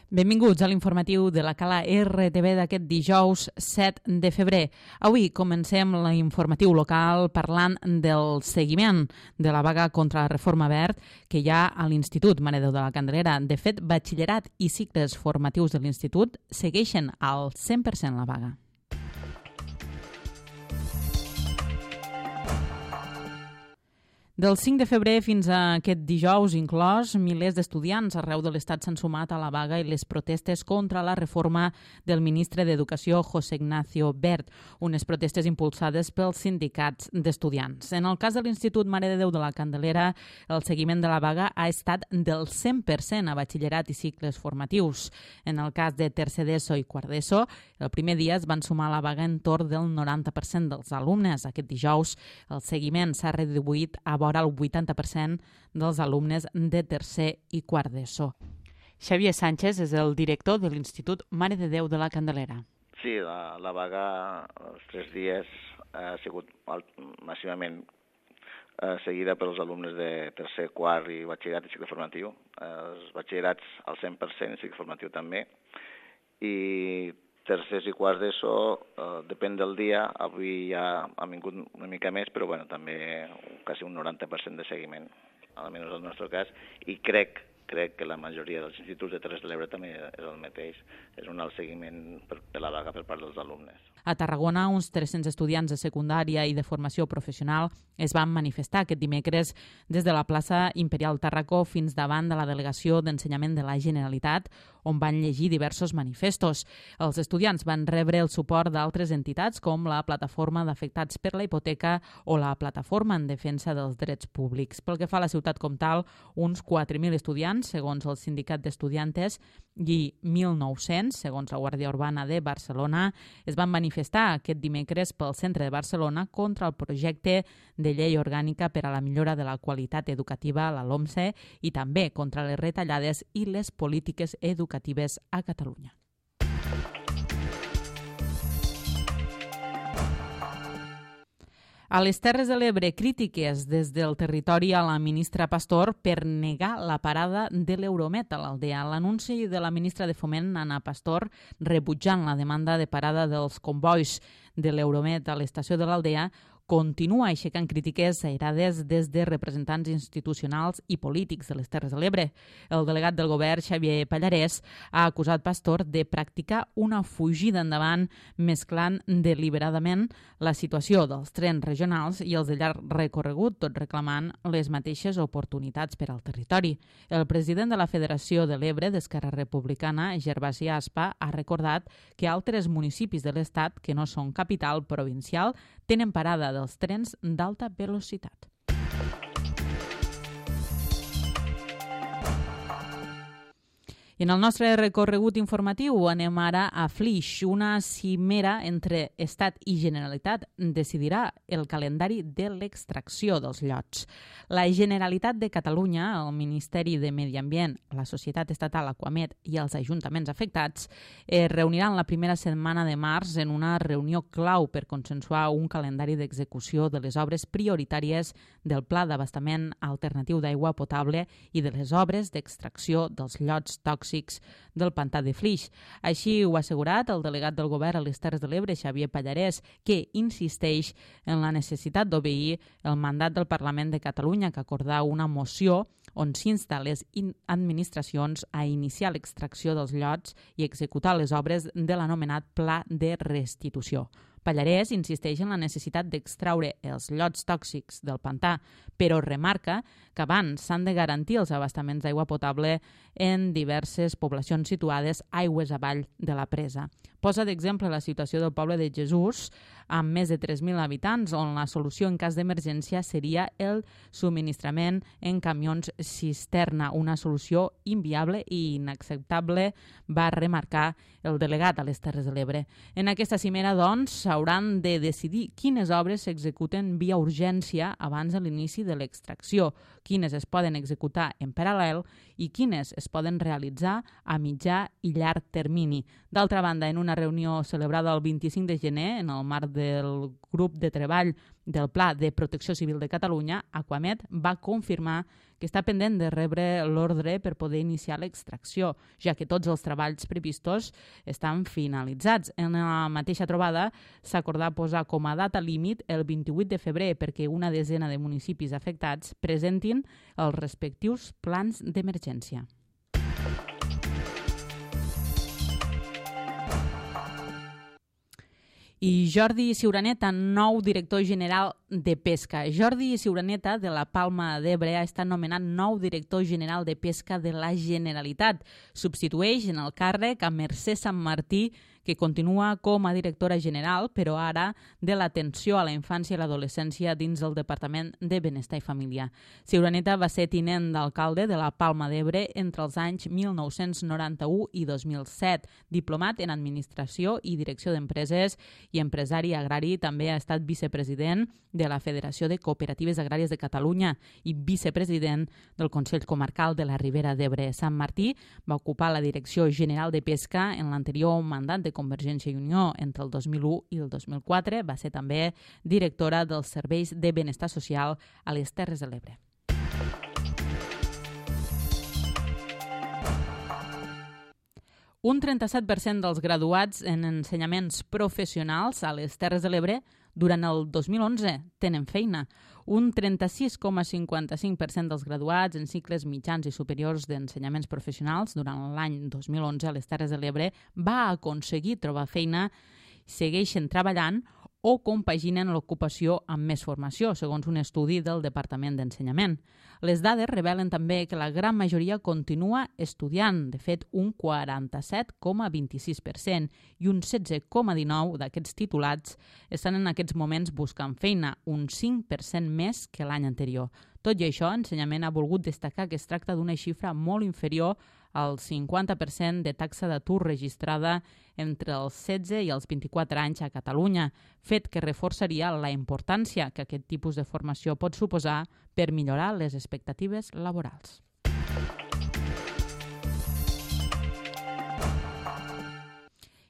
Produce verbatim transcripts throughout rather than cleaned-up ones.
Benvinguts a l'informatiu de la Cala R T V d'aquest dijous set de febrer. Avui comencem l'informatiu local parlant del seguiment de la vaga contra la reforma verd que hi ha a l'Institut Mare de Déu de la Candelera. De fet, batxillerat i cicles formatius de l'Institut segueixen al cent per cent la vaga. Del cinc de febrer fins a aquest dijous inclòs, milers d'estudiants arreu de l'Estat s'han sumat a la vaga i les protestes contra la reforma del ministre d'Educació, José Ignacio Wert, unes protestes impulsades pels sindicats d'estudiants. En el cas de l'Institut Mare de Déu de la Candelera, el seguiment de la vaga ha estat del cent per cent a batxillerat i cicles formatius. En el cas de tercer d'ESO i quart d'ESO, el primer dia es van sumar a la vaga entorn del noranta per cent dels alumnes. Aquest dijous, el seguiment s'ha reduït a vora el vuitanta per cent dels alumnes de tercer i quart d'ESO. Xavier Sánchez és el director de l'Institut Mare de Déu de la Candelera. Sí, la, la vaga els tres dies ha sigut massivament eh, seguida pels alumnes de tercer, quart i batxillerat i cicle formatiu. Eh, els batxillerats al cent per cent i cicle formatiu també. I tercers i quarts d'ESO, eh, depèn del dia, avui ja ha vingut una mica més, però bueno, també quasi un noranta per cent de seguiment, almenys en el nostre cas, i crec, crec que la majoria dels instituts de Terres de l'Ebre també és el mateix, és un alt seguiment per, per la vaga per part dels alumnes. A Tarragona, uns tres-cents estudiants de secundària i de formació professional es van manifestar aquest dimecres des de la plaça Imperial Tàrraco fins davant de la Delegació d'Ensenyament de la Generalitat, on van llegir diversos manifestos. Els estudiants van rebre el suport d'altres entitats com la Plataforma d'Afectats per la Hipoteca o la Plataforma en Defensa dels Drets Públics. Pel que fa a la ciutat com tal, uns quatre mil estudiants, segons el Sindicat d'Estudiantes, i mil nou-cents, segons la Guàrdia Urbana de Barcelona, es van manifestar aquest dimecres pel centre de Barcelona contra el projecte de llei orgànica per a la millora de la qualitat educativa, la LOMSE, i també contra les retallades i les polítiques educatives a Catalunya. A les Terres de l'Ebre, crítiques des del territori a la ministra Pastor per negar la parada de l'Euromet a l'Aldea. L'anunci de la ministra de Foment, Ana Pastor, rebutjant la demanda de parada dels convois de l'Euromet a l'estació de l'Aldea, continua aixecant crítiques airades des de representants institucionals i polítics de les Terres de l'Ebre. El delegat del govern, Xavier Pallarès, ha acusat Pastor de practicar una fugida endavant mesclant deliberadament la situació dels trens regionals i els de llarg recorregut, tot reclamant les mateixes oportunitats per al territori. El president de la Federació de l'Ebre d'Esquerra Republicana, Gervasi Aspa, ha recordat que altres municipis de l'Estat que no són capital provincial tenen parada dels trens d'alta velocitat. I en el nostre recorregut informatiu anem ara a Flix. Una cimera entre Estat i Generalitat decidirà el calendari de l'extracció dels llots. La Generalitat de Catalunya, el Ministeri de Medi Ambient, la Societat Estatal Aquamet i els ajuntaments afectats es reuniran la primera setmana de març en una reunió clau per consensuar un calendari d'execució de les obres prioritàries del Pla d'Abastament Alternatiu d'Aigua Potable i de les obres d'extracció dels llots tòxics del pantà de Flix. Així ho ha assegurat el delegat del govern a les Terres de l'Ebre, Xavier Pallarès, que insisteix en la necessitat d'obeir el mandat del Parlament de Catalunya que acordà una moció on s'insta les administracions a iniciar l'extracció dels llots i executar les obres de l'anomenat Pla de Restitució. Pallarès insisteix en la necessitat d'extraure els llots tòxics del pantà, però remarca que abans s'han de garantir els abastaments d'aigua potable en diverses poblacions situades aigües avall de la presa. Posa d'exemple la situació del poble de Jesús, amb més de tres mil habitants, on la solució en cas d'emergència seria el subministrament en camions cisterna, una solució inviable i inacceptable, va remarcar el delegat a les Terres de l'Ebre. En aquesta cimera, doncs, s'hauran de decidir quines obres s'executen via urgència abans de l'inici de l'extracció, quines es poden executar en paral·lel i quines es poden realitzar a mitjà i llarg termini. D'altra banda, en una reunió celebrada el vint-i-cinc de gener en el marc del grup de treball del Pla de Protecció Civil de Catalunya, Aquamet va confirmar que està pendent de rebre l'ordre per poder iniciar l'extracció, ja que tots els treballs previstos estan finalitzats. En la mateixa trobada s'acordà posar com a data límit el vint-i-vuit de febrer perquè una desena de municipis afectats presentin els respectius plans d'emergència. I Jordi Ciuraneta, nou director general de Pesca. Jordi Ciuraneta, de la Palma d'Ebre, ha estat nomenat nou director general de Pesca de la Generalitat. Substitueix en el càrrec a Mercè Santmartí, que continua com a directora general, però ara de l'atenció a la infància i l'adolescència dins del Departament de Benestar i Família. Ciuraneta va ser tinent d'alcalde de la Palma d'Ebre entre els anys mil nou-cents noranta-u i dos mil set. Diplomat en Administració i Direcció d'Empreses i empresari agrari, també ha estat vicepresident de la Federació de Cooperatives Agràries de Catalunya i vicepresident del Consell Comarcal de la Ribera d'Ebre. Santmartí va ocupar la Direcció General de Pesca en l'anterior mandat de Convergència i Unió entre el dos mil u i el dos mil quatre. Va ser també directora dels Serveis de Benestar Social a les Terres de l'Ebre. Un trenta-set per cent dels graduats en ensenyaments professionals a les Terres de l'Ebre durant el dos mil onze tenen feina. Un trenta-sis coma cinquanta-cinc per cent dels graduats en cicles mitjans i superiors d'ensenyaments professionals durant l'any dos mil onze a les Terres de l'Ebre va aconseguir trobar feina, segueixen treballant o compaginen l'ocupació amb més formació, segons un estudi del Departament d'Ensenyament. Les dades revelen també que la gran majoria continua estudiant, de fet un quaranta-set coma vint-i-sis per cent, i un setze coma dinou per cent d'aquests titulats estan en aquests moments buscant feina, un cinc per cent més que l'any anterior. Tot i això, Ensenyament ha volgut destacar que es tracta d'una xifra molt inferior al cinquanta per cent de taxa d'atur registrada entre els setze i els vint-i-quatre anys a Catalunya, fet que reforçaria la importància que aquest tipus de formació pot suposar per millorar les expectatives laborals.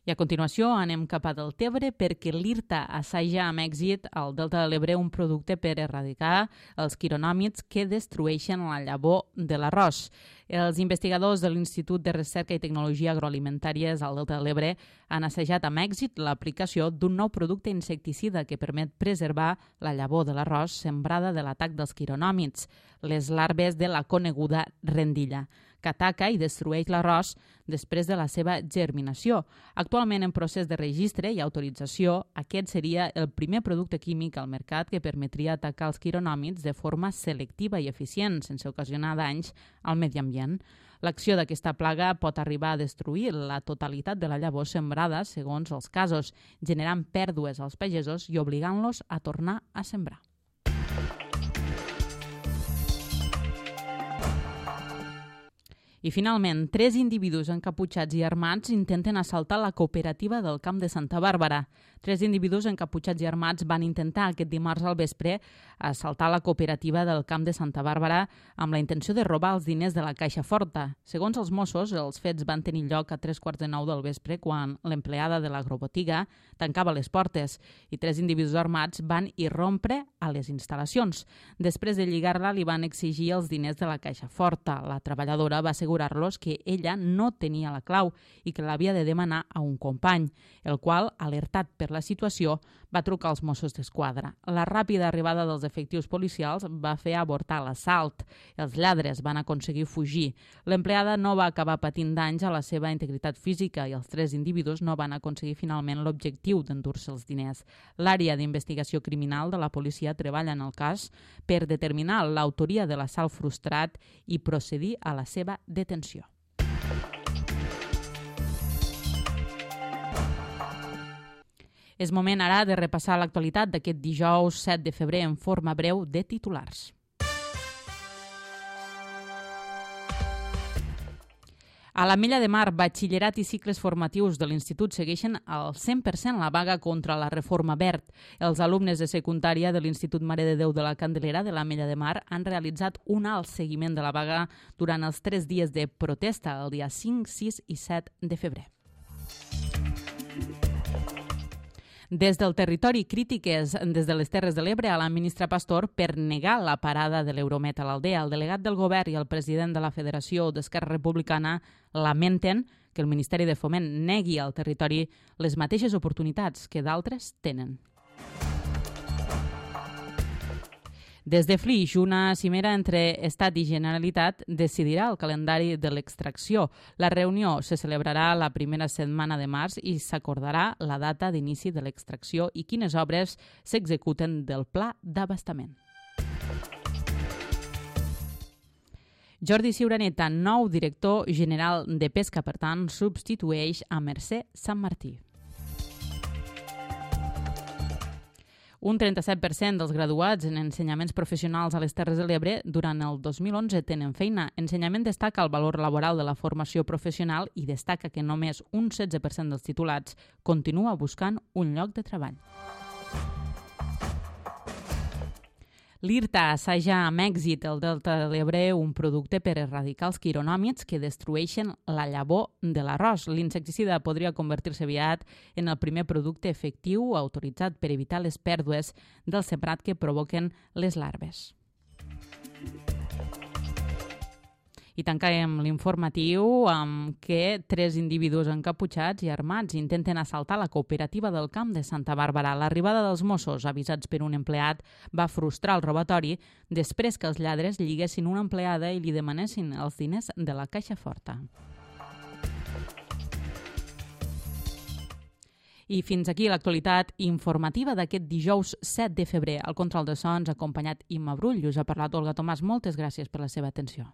I a continuació anem cap a Deltebre perquè l'IRTA assaja amb èxit al Delta de l'Ebre un producte per erradicar els quironòmids que destrueixen la llavor de l'arròs. Els investigadors de l'Institut de Recerca i Tecnologia Agroalimentàries al Delta de l'Ebre han assajat amb èxit l'aplicació d'un nou producte insecticida que permet preservar la llavor de l'arròs sembrada de l'atac dels quironòmids, les larves de la coneguda rendilla, que ataca i destrueix l'arròs després de la seva germinació. Actualment en procés de registre i autorització, aquest seria el primer producte químic al mercat que permetria atacar els quironòmids de forma selectiva i eficient, sense ocasionar danys al medi ambient. L'acció d'aquesta plaga pot arribar a destruir la totalitat de la llavor sembrada, segons els casos, generant pèrdues als pagesos i obligant-los a tornar a sembrar. I finalment, tres individus encaputxats i armats intenten assaltar la cooperativa del Camp de Santa Bàrbara. Tres individus encaputxats i armats van intentar aquest dimarts al vespre assaltar la cooperativa del Camp de Santa Bàrbara amb la intenció de robar els diners de la Caixa Forta. Segons els Mossos, els fets van tenir lloc a tres quarts de nou del vespre quan l'empleada de l'agrobotiga tancava les portes i tres individus armats van irrompre a les instal·lacions. Després de lligar-la, li van exigir els diners de la Caixa Forta. La treballadora va assegurar-los que ella no tenia la clau i que l'havia de demanar a un company, el qual, alertat per la situació, va trucar als Mossos d'Esquadra. La ràpida arribada dels efectius policials va fer avortar l'assalt. Els lladres van aconseguir fugir. L'empleada no va acabar patint danys a la seva integritat física i els tres individus no van aconseguir finalment l'objectiu d'endur-se els diners. L'àrea d'investigació criminal de la policia treballa en el cas per determinar l'autoria de l'assalt frustrat i procedir a la seva detenció. És moment ara de repassar l'actualitat d'aquest dijous set de febrer en forma breu de titulars. A l'Ametlla de Mar, batxillerat i cicles formatius de l'Institut segueixen al cent per cent la vaga contra la reforma verd. Els alumnes de secundària de l'Institut Mare de Déu de la Candelera de l'Ametlla de Mar han realitzat un alt seguiment de la vaga durant els tres dies de protesta, el dia cinc, sis i set de febrer. Des del territori, crítiques des de les Terres de l'Ebre a la ministra Pastor per negar la parada de l'Euromet a l'Aldea. El delegat del govern i el president de la Federació d'Esquerra Republicana lamenten que el Ministeri de Foment negui al territori les mateixes oportunitats que d'altres tenen. Des de Flix, una cimera entre Estat i Generalitat decidirà el calendari de l'extracció. La reunió se celebrarà la primera setmana de març i s'acordarà la data d'inici de l'extracció i quines obres s'executen del pla d'abastament. Jordi Ciuraneta, nou director general de Pesca, per tant, substitueix a Mercè Santmartí. Un trenta-set per cent dels graduats en ensenyaments professionals a les Terres de l'Ebre durant el dos mil onze tenen feina. Ensenyament destaca el valor laboral de la formació professional i destaca que només un setze per cent dels titulats continua buscant un lloc de treball. L'IRTA assaja amb èxit el Delta de l'Ebre un producte per erradicar els quironòmids que destrueixen la llavor de l'arròs. L'insecticida podria convertir-se aviat en el primer producte efectiu autoritzat per evitar les pèrdues del sembrat que provoquen les larves. I tancarem l'informatiu amb que tres individus encaputxats i armats intenten assaltar la cooperativa del Camp de Santa Bàrbara. L'arribada dels Mossos, avisats per un empleat, va frustrar el robatori després que els lladres lliguessin una empleada i li demanessin els diners de la caixa forta. I fins aquí l'actualitat informativa d'aquest dijous set de febrer. Al control de sons, acompanyat Imma Brull, us ha parlat Olga Tomàs. Moltes gràcies per la seva atenció.